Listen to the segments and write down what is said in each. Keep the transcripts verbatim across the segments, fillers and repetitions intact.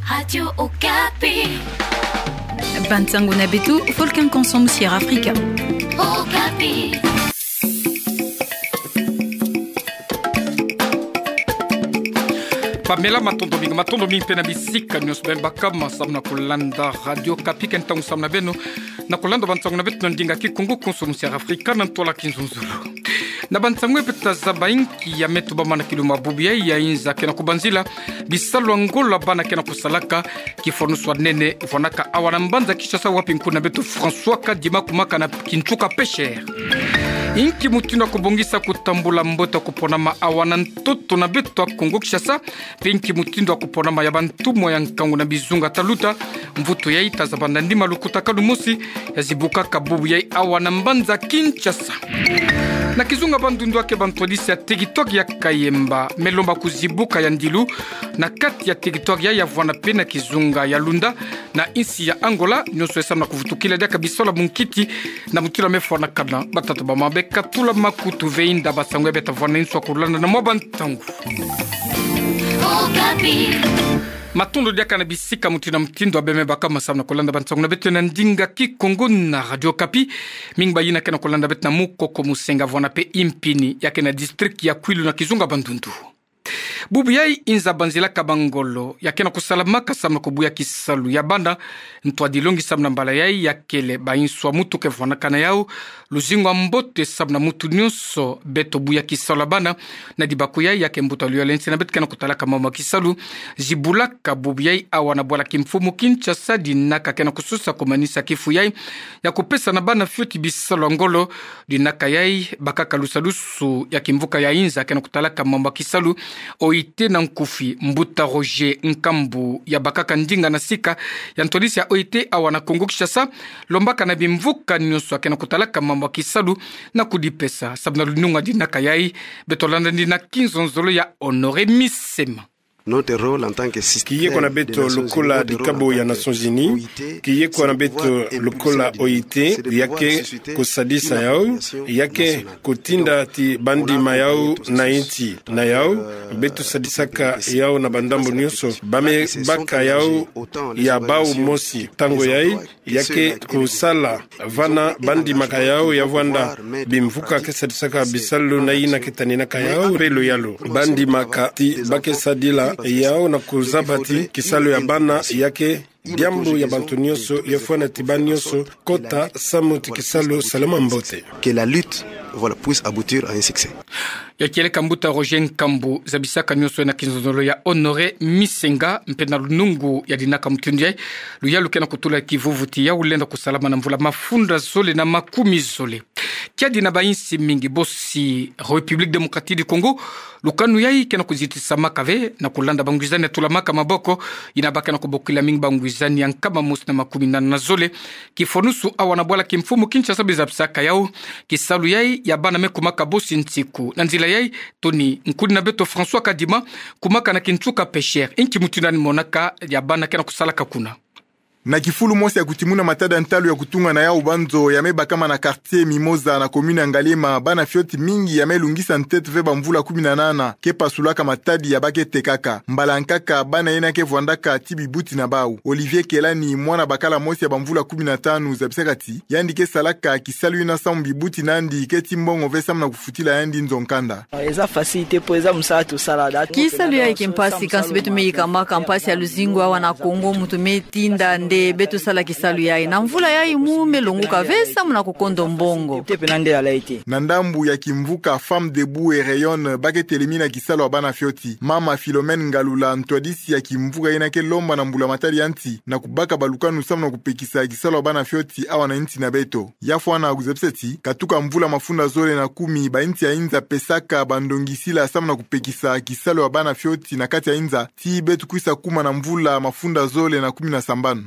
Radio Okapi. Bansango na beto, Volcan Konso Musiera Afrika. Okapi. Pamela, matondo mingi, matondo mingi mpe na bisika nyonso beno bakama samu na kulanda Radio Okapi. Ke ntangu samu na beno na kulanda bansango na beto na ndinga Kikongo, Konso Musiera Afrika, na ntwala Kinzonzolo. Na bansango ya beto, tazaba inki ya me tubama na kiluma bubu yai ya inza ke na kubanzila bisalu ya ngolo ya bana ke na kusalaka, kifwanusu ya nene vwanaka awa na mbanza Kinshasa, wapi nkuna beto François Kadima kumaka na kintuka pêcheur. Inki mutindu ya kubongisa kutambula mbote ya kuponama awa na ntoto na beto ya Kongo Kinshasa, mpe inki mutindu ya kuponama ya bantumwa ya nkangu na bizunga taluta? Mvutu yai tazaba na nima lukutakanu mosi ya zibukaka bubu yai awa na mbanza Kinshasa. Na kizunga Bandundu, yake bantwadisi ya territoire ya Kayemba me lomba kuzibuka ya ndilu na kati ya territoire yai ya vwana mpe na kizunga ya Lunda na insi ya Angola, nyonso samu na kuvutukila diaka bisalu ya munkiti na mutindu ya me fwanakana. Batata bamama, beka tula makutu ve inda bansango ya beto ta vwana inso ya kulanda na mwa bantangu. Okapi. Matondo diaka na bisika mutindu na mutindu ya beno me bakama samu na kulanda bansango na beto na ndinga Kikongo na Radio Okapi. Mingi bayina ke na kulanda beto na Mukoko, Musenga, vwana mpe Impini, yake na district ya Kwilu na kizunga Bandundu. Bubu yai inza banzilaka bangolo ya ke na kusalamaka samu na kubuya kisalu ya bana. Ntwadi longi samu na mbala yai yakele bainso ya mutu ke vwanaka na yau luzingu ya mbote samu na mutu nyonso. Beto buya kisalu ya bana na dibaku yai, yake mbuta luyalu ya nsi na beto ke na kutalaka mambu ya kisalu zibulaka bubu yai awa na bwala kimfumu Kinshasa, dinaka ke na kusosa kumanisa kifu yai ya kupesa na bana fioti bisalu ya ngolo. Dinaka yai bakaka lusalusu ya kimvuka ya inza ke na kutalaka mambu ya kisalu, O I T na nkufi, mbuta Roger Nkambu, ya bakaka ndinga na sika ya ntwadisi ya O I T awa na Kongo Kinshasa, lombaka na bimvuka nyonso ya ke na kutalaka mambu ya kisalu na kudipesa samu na lununga dinaka yai. Beto landa ndina kinzonzolo ya Honoré Misema. Ki yeko na beto lokola dikabo ya Nations Unies, ki yeko na beto lokola O I T, yake kusadisa yau, yake kutinda ti bandima yau na inti na yau. Beto sadisaka yau na bandambu nyonso, ba me baka yau ya bau mosi. Ntangu yai, yake kusala vana bandimaka yau ya vwanda bimvuka ke sadisaka bisalu na yina ke taninaka yau, mpe luyalu bandimaka ti ba ke sadila yau na kuzaba ti kisalu ya bana yake diambu ya bantu nyonso, ya fwana ti bana nyonso kota samu ti kisalu salama mbote. Que la lutte, voilà, puisse aboutir à un succès. Ya kieleka mbuta Roger Nkambu, zabisaka nyonso na kinzonzolo ya Honoré Misenga, mpe na lunungu ya dinaka mutindu yai, luyalu ke na kutula kivuvu ti yau lenda kusalama na mvula mafunda zole na makumi zole. Kiadi na bainsi mingi, bosi République Démocratique du Congo, lukanu yai ke na kuzitisamaka ve na kulanda bangwizani ya tulamaka maboko, yina ba ke na kubokila mingi bangwizani ya nkama mosi na makumi nana na zole. Kifwanusu awa na bwala kimfumu Kinshasa, beno zabisaka yau, kisalu yai ya bana me kumaka bosi nsiku. Na nzila yai, toni nkuni na beto François Kadima kumaka na kintuka pêcheur. Inki mutindu yandi monaka ya bana ke na kusalaka kuna? Na kifulu mosi ya kutimuna matadi ya ntalu ya kutunga na yau banzo ya me bakama na quartier Mimosa na commune ya Ngaliema, bana fioti mingi ya me lungisa ntete ve bamvula kumi na nana ke pasulaka matadi ya ba ke tekaka. Mbala nkaka bana yina ke vwandaka ti bibuti na bau. Olivier Kelani, mwana bakala mosi ya bamvula kumi na tanu, zabisaka ti yandi ke salaka kisalu yina samu bibuti na yandi ke ti mbongo ve samu na kufutila yandi nzo nkanda. Eza facile te mpo eza mosala tosala. Kisalu yai ke mpasi, kansi beto me yikamaka mpasi ya luzingu awa na Congo, muntu me tinda nde beto sala kisalu yai. Na mvula yai mu me longuka ve samu na kukondo mbongo. Na ndambu ya kimvuka Femmes Debout et Rayonnent, ba ke telemina kisalu ya bana fioti, mama Philomène Ngalula, ntwadisi ya kimvuka yina ke lomba na mbula matadi ya nsi na kubaka balukanu samu na kupekisa kisalu ya bana fioti awa na nsi na beto. Ya fwana kuzabisa ti katuka mvula mafunda zole na kumi, bainsi ya inza pesaka bandongisila samu na kupekisa kisalu ya bana fioti na kati ya inza, ti beto kwisa kuma na mvula mafunda zole na kumi na sambanu.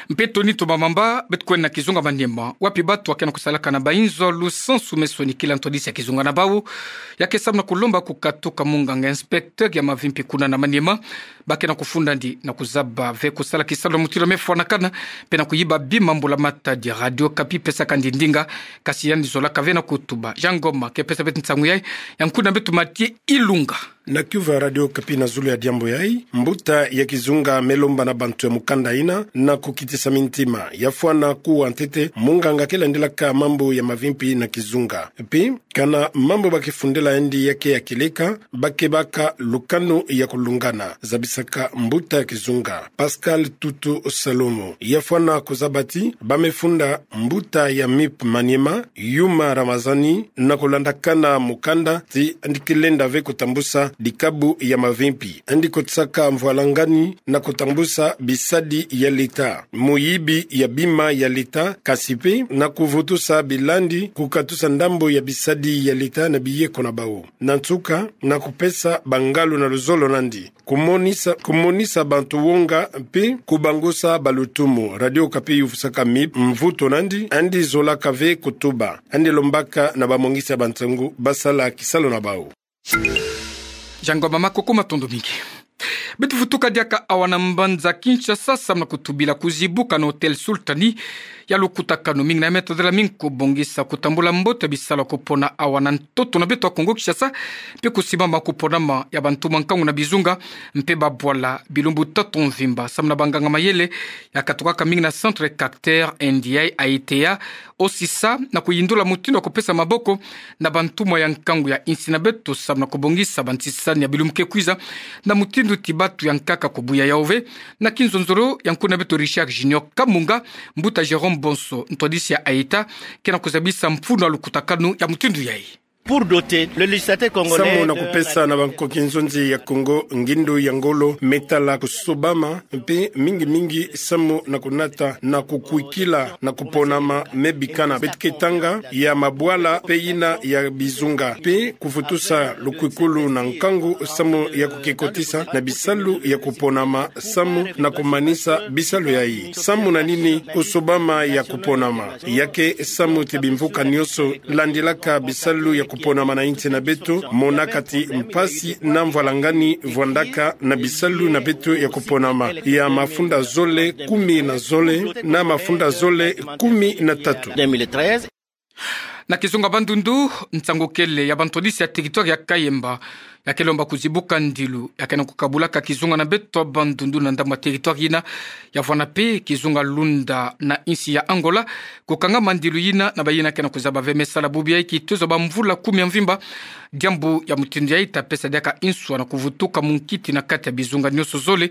Mpe toni toma mamba, beto kwenda na kizunga Maniema, wapi bato ya ke na kusalaka na bainzo lusansu me sonikila ntwadisi ya kizunga na bau, ya ke samu na kulomba kukatuka munganga inspecteur ya mavimpi kuna na Maniema. ba ke na kufunda ndi na kuzaba ve kusala kisalu na mutindu ya me fwanakana, mpe na kuyiba bima mbula matadi ya Radio Okapi pesaka ndi ndinga, kasi yandi zolaka ve na kutuba. Jean Ngoma ke pesa beto nsangu yai, ya nkuna beto Mathieu Ilunga. Na kiuvu ya Radio Okapi na zulu ya diambu yai, mbuta ya kizunga me lomba na bantu ya mukanda yina na kukitisa mintima ya fwana kuwa ntete munganga ke landilaka mambu ya mavimpi na kizunga. Mpe kana mambu ba ke fundela yandi ya ke ya kieleka, ba ke baka lukanu ya kulungana, zabisaka mbuta ya kizunga Pascal Tutu Salomo. Ya fwana kuzaba ti ba me funda mbuta ya MIP Maniema, Yuma Ramazani, na kulandakana mukanda ti yandi ke lenda ve kutambusa dikabu ya mavimpi, yandi kotisaka mvwalangani na kutambusa bisadi ya leta, muyibi ya bima ya leta, kasi mpe na kuvutusa bilandi kukatusa ndambu ya bisadi ya leta na biyeko na bawu. Na nsuka, na kupesa bangalu na luzolo nandi kumonisa, kumonisa bantu wonga mpe kubangusa balutumu. Radio Okapi yuvusaka MIP mvutu nandi, yandi zolaka ve kutuba, yandi lombaka na bamongisi ya bansangu ba sala kisalu na bawu. Jean Ngoma, makuku, matondo mingi. Beto vutuka diaka awa na mbanza Kinshasa samu na kutubila kuzibuka na Hôtel Sultani ya lukutakanu mingi na ya me tadela mingi kubongisa kutambula mbote ya bisalu ya kupona awa na ntoto na beto ya Kongo Kinshasa, mpe kusimama kuponama ya bantu mwa nkangu na bizunga, mpe babwala bilumbu tatu mvimba, samu na banganga mayele ya katukaka mingi na Centre Carter Ndiaye Ayittey, osisa na kuyindula mutindu ya kupesa maboko na bantumwa ya nkangu ya insi na beto samu na kubongisa bantsisani ya bilumbu ke kwiza, na mutindu ti batu ya nkaka kubuya yau ve. Na kinzonzolo ya nkuna beto Richard Junior Kamunga, mbuta Jérôme Bonso, ntwadisi ya Ayittey, ke na kuzabisa mfunu ya lukutakanu ya mutindu yai. Pour doter le législateur congolais, samu na kupesa na bankoki nzonzi ya Kongo ngindu ya ngolo me tala kusobama, mpe mingi mingi samu na kunata na kukwikila na kuponama me bikana. Beto ke tanga ya mabwala mpe yina ya bizunga, mpe kuvutusa lukwikulu na nkangu samu ya kukekotisa na bisalu ya kuponama samu na kumanisa bisalu yai. Samu na nini kusobama ya kuponama? Ya ke samu ti bimvuka nyonso landilaka bisalu ya kuponama na insi na beto monaka ti mpasi na mvwalangani vwandaka na bisalu na beto ya kuponama ya mafunda zole kumi na zole na mafunda zole kumi na tatu. Na kizunga Bandundu, nsangu kele ya bantwadisi ya territoire ya Kayemba ya ke lomba kuzibuka ndilu ya ke na kukabulaka kizunga na beto Bandundu na ndambu ya territoire yina, ya vwanda mpe kizunga Lunda na insi ya Angola kukangama ndilu yina na bayina ke na kuzaba ve me sala bubu yai kituza bamvula kumi ya mvimba. Diambu ya mutindu yai ta pesa diaka inswa na kuvutuka munkiti na kati ya bizunga nyonso zole.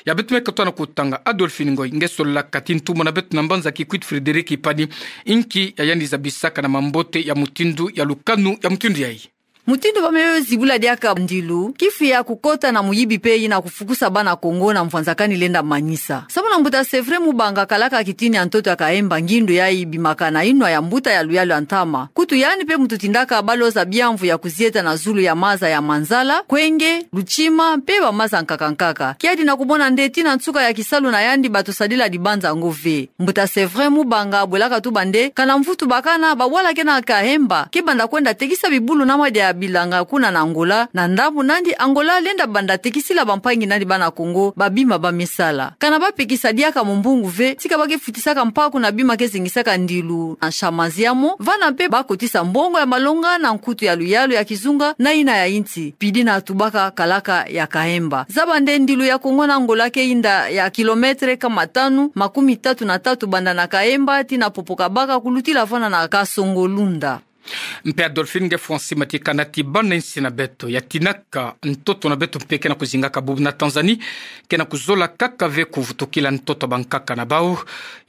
Ya beto me katoa na kutanga, Adolphine Ngoy, nge solaka ti ntumwa na beto na mbanza Kikwit Frédéric Ipani, inki ya yandi zabisaka na mambote ya mutindu ya lukanu ya mutindu yai. Mutindu ba me zibula diaka ndilu, kifu ya kukota na muyibi mpe yina kufukusa bana Kongo na mvwanzakani lenda manisa. Samu na mbuta Séverin Mubanga, kalaka kitini ya ntoto ya Kayemba, ngindu yai ibimaka na inwa ya mbuta ya luyalu ya ntama. Kutu yandi mpe muntu tindaka baloza biamvu ya kuzieta na zulu ya maza ya Manzala, Kwenge, Luchima, mpe bamaza nkaka nkaka. Kiadi na kumona nde ti na nsuka ya kisalu na yandi bato sadila dibanza ngo ve. Mbuta Séverin Mubanga bwelaka tuba nde, kana mvutu bakana babwala ke na Kayemba, ke banda kwenda tekisa bibulu na madia ya bilanga kuna na Angola, na ndambu nandi Angola lenda banda tekisila bampangi nandi bana Kongo babima ba me sala. Kana ba pekisa diaka mombongo ve, tika ba ke futisaka mpaku na bima ke zingisaka ndilu na shama ziamo, vana mpe ba kotisa mbongo ya malonga na nkutu ya luyalu ya kizunga na yina ya insi, pidi na tubaka kalaka ya Kayemba. Zaba nde ndilu ya Kongo na Angola ke yinda ya kilomètre kama tanu makumi tatu na tatu banda na Kayemba tii na Popokabaka kulutila vana na Kasongo-Lunda. Mpe Adolphine, nge fonsi matikana ti bana insi na beto ya tinaka ntoto na beto mpe ke na kuzingaka bubu na Tanzanie, ke na kuzola kaka ve kuvutukila ntoto ya bankaka na bau.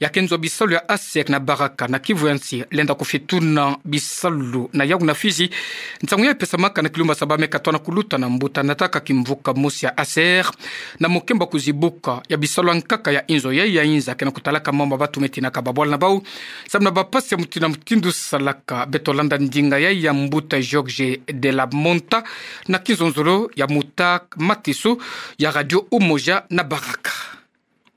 Ya ke nzo bisalu ya ASER na Baraka na kivu ya nsi lenda kufituna bisalu na yau na Fidji. Nsangu yai pesamaka na kilumba sa ba me katoa na kuluta na mbuta nataka kimvuka mosi ya ASER, na mokembo ya kuzibuka ya bisalu ya nkaka ya inzo yai ya inza ke na kutalaka mambu ya batu me tinaka babwala na bau samu na bampasi ya mutindu na mutindu salaka. Beto landa ndinga yai ya mbuta Jorge de la Monta na kinzonzolo ya Muta Matiso ya Radio Umoja na Baraka.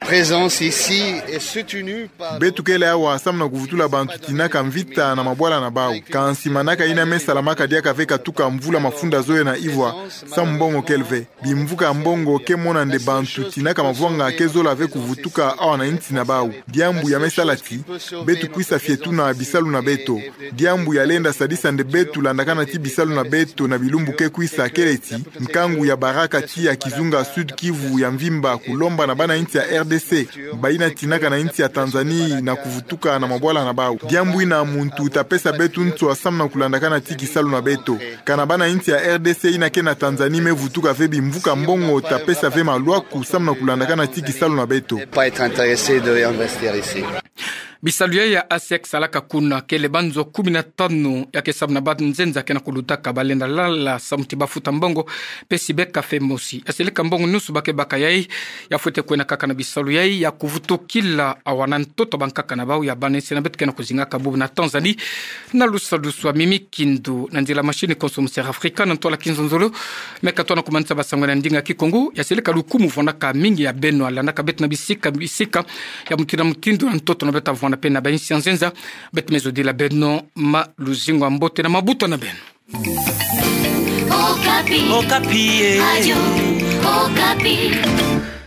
présence ici est soutenue par... Beto kele awa samu na kuvutula bantu tinaka mvita na mabwala na bau. Kansi manaka ina me salamaka diaka ve katuka mvula mafunda zoyo na ivwa, samu mbongo kele ve. Bimvuka mbongo ke mona nde bantu tinaka mavwanga ke zola ve kuvutuka awa na insi na bau. Diambu ya me sala ti beto kwisa fietuna bisalu na beto. Diambu ya lenda sadisa nde beto landakana ti bisalu na beto na bilumbu ke kwisa kele ti nkangu ya baraka ti ya kizunga Sud-Kivu ya mvimba kulomba na bana insi ya R D C, bayina tinaka na insi ya Tanzanie na kuvutuka na mabwala na bau. Diambu ina muntu ta pesa beto nswa samu na kulandakana ti kisalu na beto. Kana bana insi ya R D C ina ke na Tanzanie me vutuka ve bimvuka mbongo ta pesa ve malwaku samu na kulandakana ti kisalu na beto. Pas être intéressé de investir ici. Bisalu yai ya ASEC salaka kuna kele banzo kumi na tanu, ya ke samu na banzenza ke na kulutaka, balenda lala samu ti bafuta mbongo, pesi beka fe mosi. Ya seleka mbongo nusu ba ke baka yai, ya fwete kwenda kaka na bisalu yai ya kuvutukila awa na ntoto bankaka na bau ya bana insi na beto ke na kuzingaka bubu na Tanzanie. Na lusalusu a Mimi Kindu, na nzila machine konso mu Sierra Africa, na ntwala Kinzonzolo, me ka tona kumanisa basango na ndinga Kikongo. Ya seleka lukumu vwandaka mingi ya beno landaka beto na bisika bisika, ya mutindu na mutindu na ntoto na beto, vwanda pe na bainsi ya nzenza. Beto me zodila beno ma luzingu ya mbote na mabuta na beno. Okapi. Okapi, eh. Radio Okapi.